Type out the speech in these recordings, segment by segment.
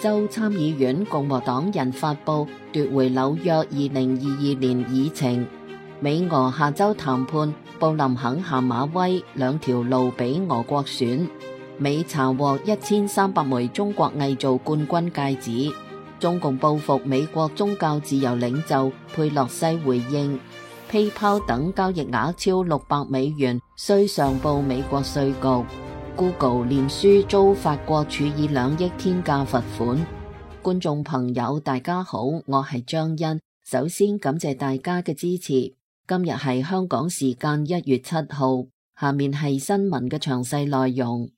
州參議院共和黨人發布奪回紐約2022年議程。美俄下周談判，布林肯下馬威兩條路俾俄國選。美查獲1300枚中國偽造冠軍戒指。中共報復美國宗教自由領袖佩洛西回應。PayPal 等交易額超$600，需上報美國稅局。Google 臉書遭法國處以2億天價罰款。觀眾朋友大家好，我係張欣，首先感謝大家嘅支持。今日係香港時間1月7號，下面係新聞嘅詳細內容。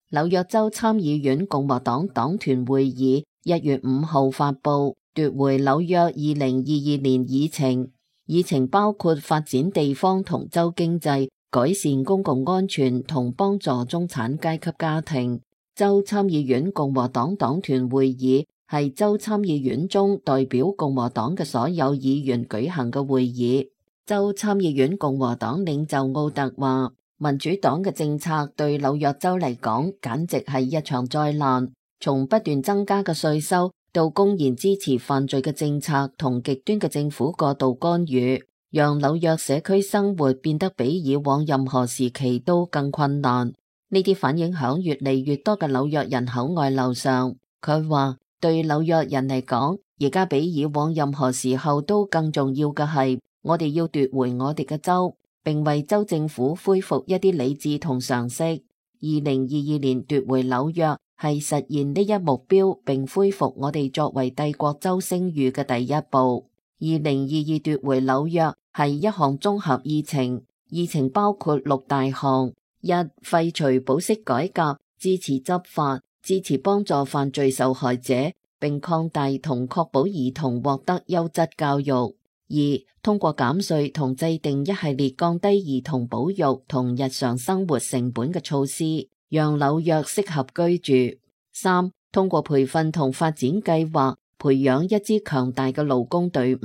紐約州參議院共和黨黨團會議1月5號發布奪回紐約2022年議程，議程包括發展地方同州經濟、改善公共安全同幫助中產階級家庭。州參議院共和黨黨團會議係州參議院中代表共和黨嘅所有議員舉行嘅會議。州參議院共和黨領袖奧特話，民主黨嘅政策對紐約州嚟講簡直係一場災難，從不斷增加嘅稅收到公然支持犯罪嘅政策同極端嘅政府過度干預，讓紐約社區生活變得比以往任何時期都更困難。呢啲反映響越嚟越多嘅紐約人口外流上。佢話對紐約人嚟講，而家比以往任何時候都更重要嘅係，我哋要奪回我哋嘅州，並為州政府恢復一啲理智同常識。2022年奪回紐約係實現呢一目標並恢復我哋作為帝國州聲譽嘅第一步。2022奪回紐約係一項綜合議程，議程包括6大項：1. 廢除保釋改革，支持執法，支持幫助犯罪受害者，並擴大同確保兒童獲得優質教育。2. 通過減稅同制定一系列降低兒童保育同日常生活成本嘅措施，讓紐約適合居住。3. 通過培訓同發展計劃，培養一支強大嘅勞工隊伍。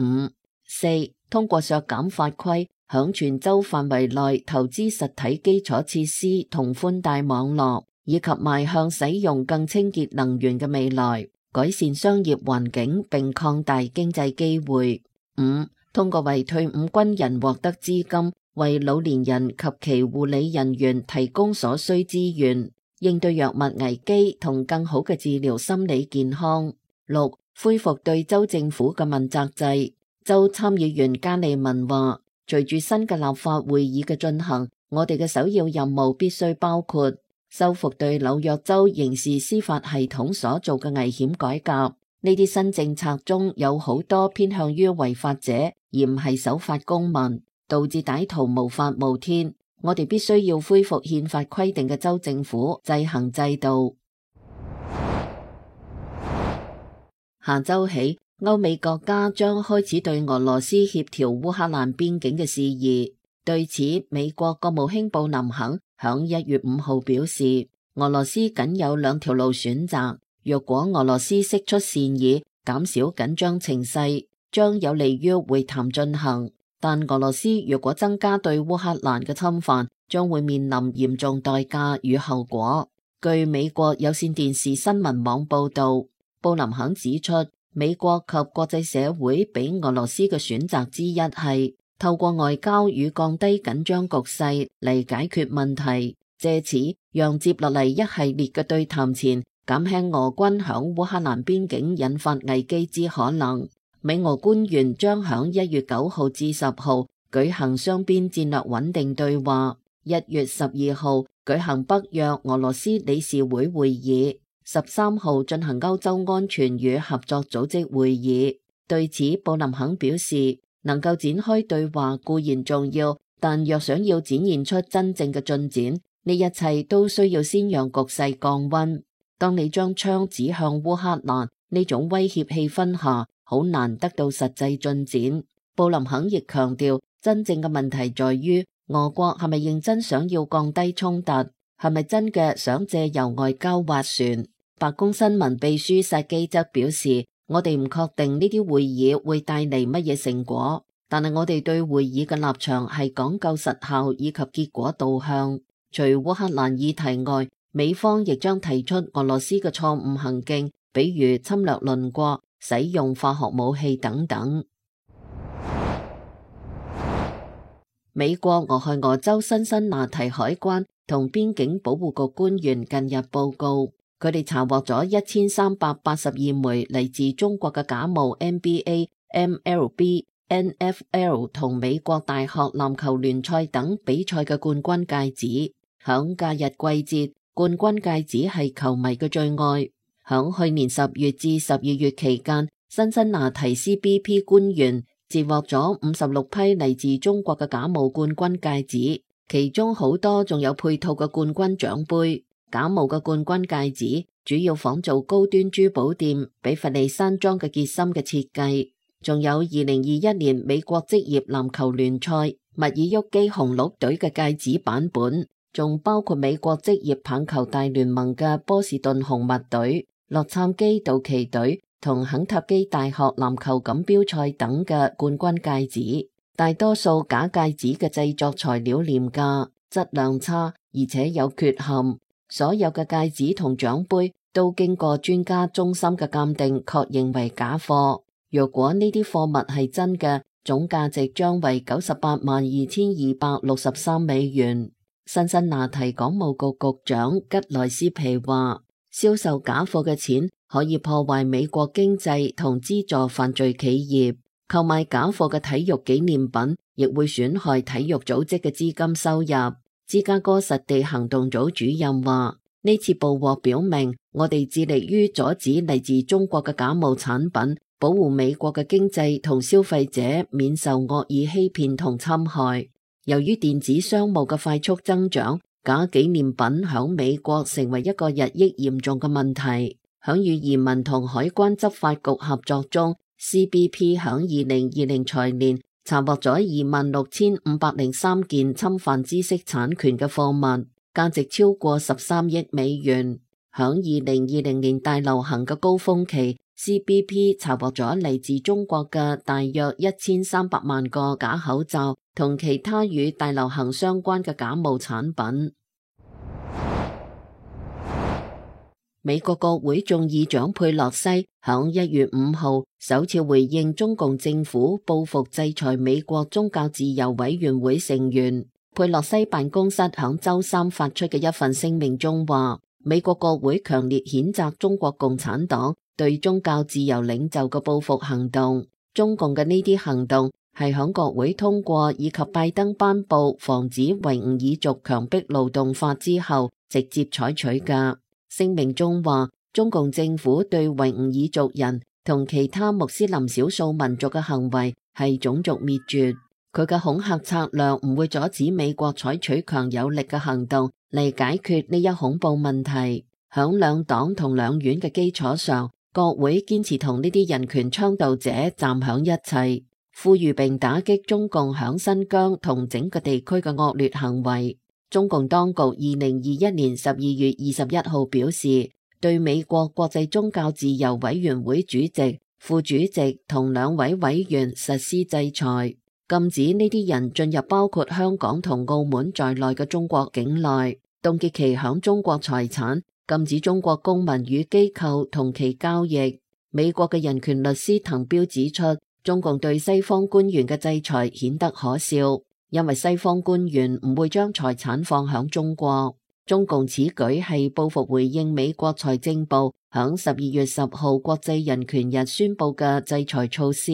4. 通過削減法規，響全州範圍內投資實體基礎設施同寬帶網絡，以及邁向使用更清潔能源嘅未來，改善商業環境並擴大經濟機會。5. 通過為退伍軍人獲得資金，為老年人及其護理人員提供所需資源，應對藥物危機同更好嘅治療心理健康。6. 恢復對州政府嘅問責制。州參議員加利文話，隨住新嘅立法會議嘅進行，我哋嘅首要任務必須包括修復對紐約州刑事司法系統所做嘅危險改革。呢啲新政策中有好多偏向於違法者，而唔係守法公民，導致歹徒無法無天。我哋必須要恢復憲法規定嘅州政府制衡制度。下周起，歐美國家將開始對俄羅斯協調烏克蘭邊境嘅事宜。對此，美國國務卿布林肯響1月5號表示，俄羅斯僅有2條路選擇。若果俄羅斯釋出善意，減少緊張情勢，將有利於會談進行；但俄羅斯若果增加對烏克蘭嘅侵犯，將會面臨嚴重代價與後果。據美國有線電視新聞網報道，布林肯指出，美國及國際社會俾俄羅斯嘅選擇之一係透過外交與降低緊張局勢嚟解決問題，借此讓接落嚟一系列嘅對談前減輕俄軍響烏克蘭邊境引發危機之可能。美俄官員將響1月9號至10號舉行雙邊戰略穩定對話，1月12號舉行北約俄羅斯理事會會議，13號進行歐洲安全與合作組織會議。對此，布林肯表示，能夠展開對話固然重要，但若想要展現出真正嘅進展，呢一切都需要先讓局勢降溫。當你將槍指向烏克蘭，呢種威脅氣氛下，好難得到實際進展。布林肯亦強調，真正嘅問題在於俄國係咪認真想要降低衝突，係咪真嘅想借由外交斡旋。白宮新聞秘書薩基則表示，我哋唔確定呢啲會議會帶嚟乜嘢成果。但係我哋對會議嘅立場係講究實效以及結果導向。除烏克蘭議題外，美方亦將提出俄羅斯嘅錯誤行徑，比如侵略鄰國、使用化學武器等等。美國俄亥俄州辛辛那提海關同邊境保護局官員近日報告，佢哋查獲咗1382枚嚟自中國嘅假冒 NBA、MLB、NFL 同美國大學籃球聯賽等比賽嘅冠軍戒指。響假日季節，冠軍戒指係球迷嘅最愛。響去年10月至12月期間，辛辛那提 CBP 官員截獲咗56批嚟自中國嘅假冒冠軍戒指，其中好多仲有配套嘅冠軍獎盃。假冒嘅冠軍戒指主要仿造高端珠寶店比弗利山莊嘅結芯嘅設計，仲有2021年美國職業籃球聯賽密爾沃基紅鹿隊嘅戒指版本，仲包括美國職業棒球大聯盟嘅波士頓紅襪隊、洛杉磯道奇隊同肯塔基大學籃球錦標賽等嘅冠軍戒指。大多數假戒指嘅製作材料廉價、質量差，而且有缺陷。所有嘅戒指同獎盃都經過專家中心嘅鑑定，確認為假貨。若果呢啲貨物係真嘅，總價值將為982263美元。辛辛那提港務局局長吉萊斯皮話，銷售假貨嘅錢可以破壞美國經濟同資助犯罪企業，購買假貨嘅體育紀念品亦會損害體育組織嘅資金收入。芝加哥實地行動組主任話，呢次捕獲表明，我哋致力於阻止嚟自中國嘅假冒產品，保護美國嘅經濟同消費者免受惡意欺騙同侵害。由於電子商務嘅快速增長，假紀念品響美國成為一個日益嚴重嘅問題。響與移民同海關執法局合作中， CBP 響2020財年查獲咗26,503件侵犯知識產權嘅貨物，價值超過13億美元。響2020年大流行嘅高峰期， CBP 查獲咗嚟自中國嘅大約1300萬個假口罩同其他與大流行相關嘅假冒產品。美國國會眾議長佩洛西響1月5號首次回應中共政府報復制裁美國宗教自由委員會成員。佩洛西辦公室響周三發出嘅一份聲明中話，美國國會強烈譴責中國共產黨對宗教自由領袖嘅報復行動。中共嘅呢啲行動係響國會通過以及拜登頒布防止維吾爾族強迫勞動法之後直接採取嘅。聲明中話，中共政府對維吾爾族人同其他穆斯林少數民族嘅行為係種族滅絕。佢嘅恐嚇策略唔會阻止美國採取強有力嘅行動嚟解決呢一恐怖問題。響兩黨同兩院嘅基礎上，國會堅持同呢啲人權倡導者站響一齊，呼籲並打擊中共響新疆同整個地區嘅惡劣行為。中共當局2021年12月21號表示，對美國國際宗教自由委員會主席、副主席同2位委員實施制裁，禁止呢啲人進入包括香港同澳門在內嘅中國境內，凍結其響中國財產，禁止中國公民與機構同其交易。美國嘅人權律師滕彪指出，中共對西方官員嘅制裁顯得可笑。因為西方官員唔會將財產放響中國，中共此舉係報復回應美國財政部響12月10號國際人權日宣布嘅制裁措施。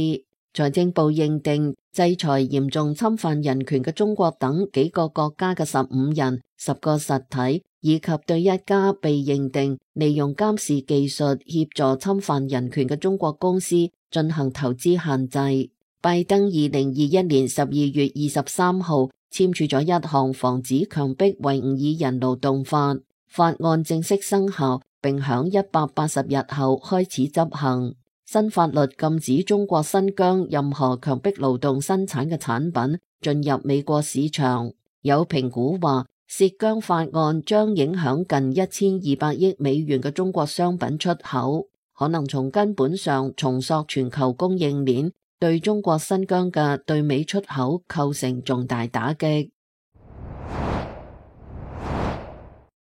財政部認定制裁嚴重侵犯人權嘅中國等幾個國家嘅15人、10個實體，以及對一家被認定利用監視技術協助侵犯人權嘅中國公司進行投資限制。拜登2021年12月23號簽署咗一項防止強迫維吾爾人勞動法，法案正式生效，並響180日後開始執行。新法律禁止中國新疆任何強迫勞動生產嘅產品進入美國市場。有評估話，涉疆法案將影響近1200億美元嘅中國商品出口，可能從根本上重塑全球供應鏈，對中國新疆嘅對美出口構成重大打擊。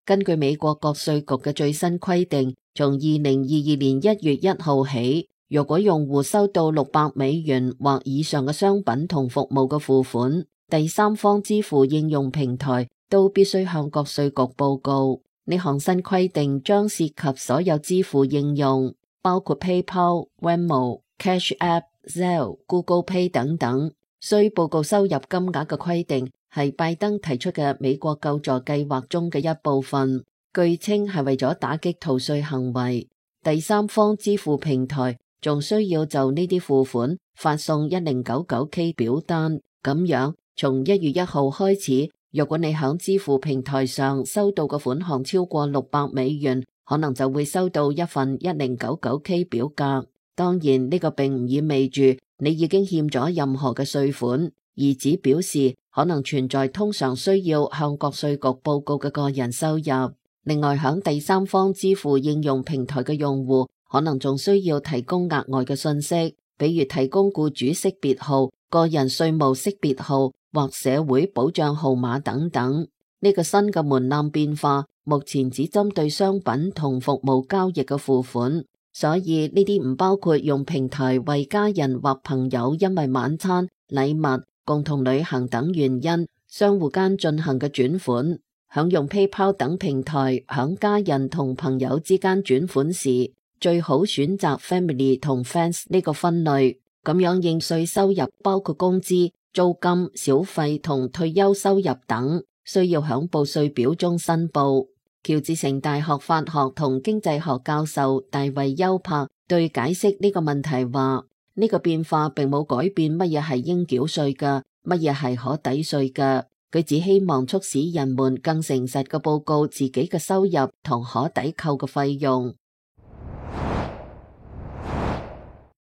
根據美國國稅局嘅最新規定，從2022年1月1號起，若果用戶收到$600或以上嘅商品同服務嘅付款，第三方支付應用平台都必須向國稅局報告。呢項新規定將涉及所有支付應用，包括 PayPal、Venmo、Cash App、Zelle、Google Pay 等等。需報告收入金額嘅規定係拜登提出嘅美國救助計劃中嘅一部分，據稱係為咗打擊逃稅行為。第三方支付平台仲需要就呢啲付款發送 1099K 表單，咁樣從1月1號開始，若果你響支付平台上收到嘅款項超過$600，可能就會收到一份 1099K 表格。當然呢個並唔意味住你已經欠咗任何嘅稅款，而只表示可能存在通常需要向國稅局報告嘅個人收入。另外，響第三方支付應用平台嘅用戶可能仲需要提供額外嘅信息，比如提供僱主識別號、個人稅務識別號或社會保障號碼等等。呢個新嘅門檻變化目前只針對商品同服務交易嘅付款，所以呢啲唔包括用平台為家人或朋友因為晚餐、禮物、共同旅行等原因相互間進行嘅轉款。響用 PayPal 等平台響家人同朋友之間轉款時，最好選擇 Family 同 Friends 呢個分類，咁樣應稅收入包括工資、租金、小費同退休收入等，需要響報稅表中申報。喬治城大學法學同經濟學教授大衛休柏對解釋呢個問題話：呢個變化並冇改變乜嘢係應繳稅嘅，乜嘢係可抵稅嘅。佢只希望促使人們更誠實嘅報告自己嘅收入同可抵扣嘅費用。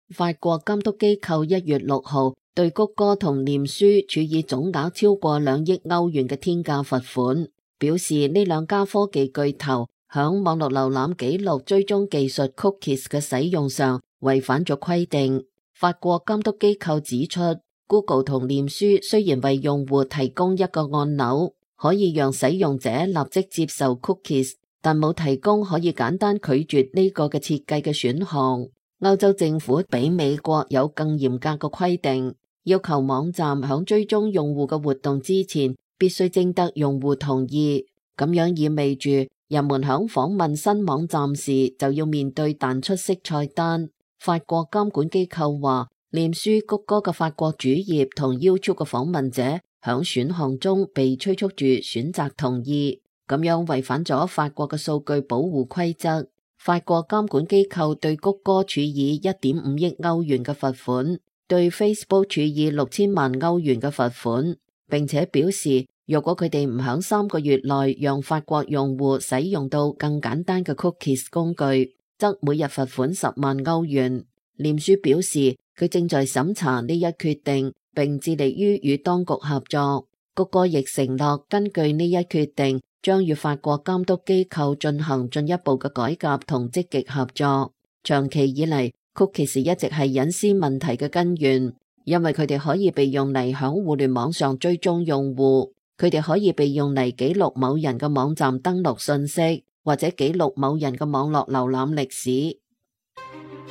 法國監督機構1月6號對谷歌同臉書處以總額超過2億歐元嘅天價罰款，表示呢兩家科技巨頭響網絡瀏覽記錄追蹤技術 Cookies 嘅使用上違反咗規定。法國監督機構指出，Google 同臉書雖然為用戶提供一個按鈕，可以讓使用者立即接受 cookies， 但冇提供可以簡單拒絕呢個嘅設計嘅選項。歐洲政府比美國有更嚴格嘅規定，要求網站響追蹤用戶嘅活動之前，必須徵得用戶同意。咁樣意味住人們響訪問新網站時就要面對彈出式菜單。法國監管機構話，臉書、谷歌嘅法國主頁同 YouTube 嘅訪問者響選項中被催促住選擇同意，咁樣違反咗法國嘅數據保護規則。法國監管機構對谷歌處以 1.5 億歐元嘅罰款，對 Facebook 處以6000萬歐元嘅罰款，並且表示若果佢哋唔響3個月內讓法國用戶使用到更簡單嘅 Cookies 工具，則每日罰款10萬歐元。臉書表示佢正在審查呢一決定，並致力於與當局合作。谷歌亦承諾根據呢一決定，將與法國監督機構進行進一步嘅改革同積極合作。長期以嚟，Cookies 一直係隱私問題嘅根源，因為佢哋可以被用嚟響互聯網上追蹤用戶，佢哋可以被用嚟記錄某人嘅網站登錄信息，或者記錄某人嘅網絡瀏覽歷史。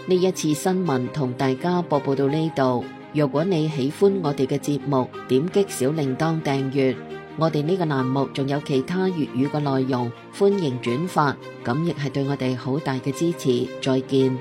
呢一次新聞同大家播報到呢度。如果你喜歡我哋嘅節目，點擊小鈴鐺訂閱。我哋呢個欄目仲有其他粵語嘅內容，歡迎轉發，咁亦係對我哋好大嘅支持。再見。